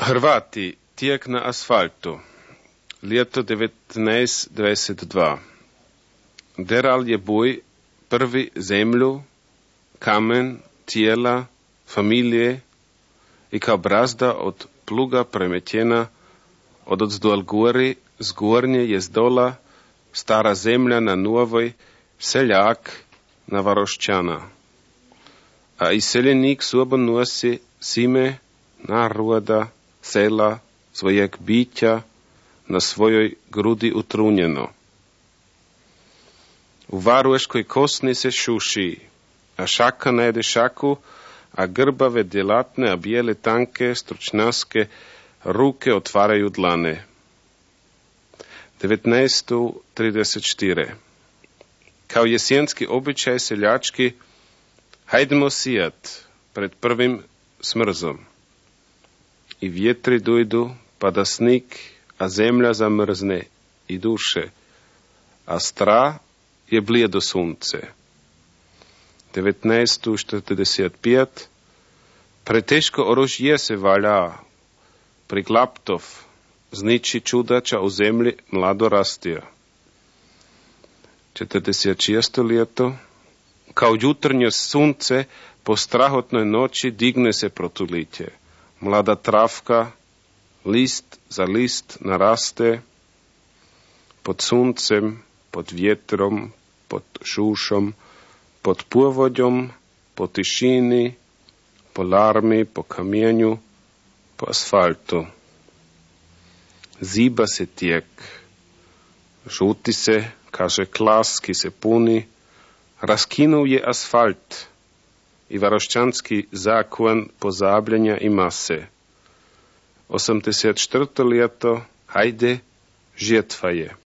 Hrvati, tijek na asfaltu. Ljeto 1922. Deral je boj prvi zemlju, kamen, tijela, familije i kao brazda od pluga premetjena odzdol gori, z gornje je zdola stara zemlja na novoj, seljak na varošćana. A iseljenik sobo nosi sime naroda, sela, svojeg bića na svojoj grudi utrunjeno. U varueškoj kosni se šuši, a šaka najde šaku, a grbave, djelatne, a bijele, tanke, stručnjaske ruke otvaraju dlane. 1934. Kao jesenski običaj seljački, hajdemo sijat pred prvim smrzom. I vjetri dojdu, pada snig, a zemlja zamrzne i duše, a stra je blijedo sunce. 1945. Preteško orožje se valja, priklaptov, zniči čudača u zemlji mlado rastija. 46. ljeto. Kao jutrnje sunce po strahotnoj noći digne se protulitje. Mlada travka, list za list naraste, pod suncem, pod vjetrom, pod šušom, pod puvodjom, po tišini, po larmi, po kamienju, po asfaltu. Ziba se tijek, žuti se, kaže klas, ki se puni, raskinul je asfalt i varošćanski zakon pozabljanja i mase. 84. ljeto, hajde, žetva je.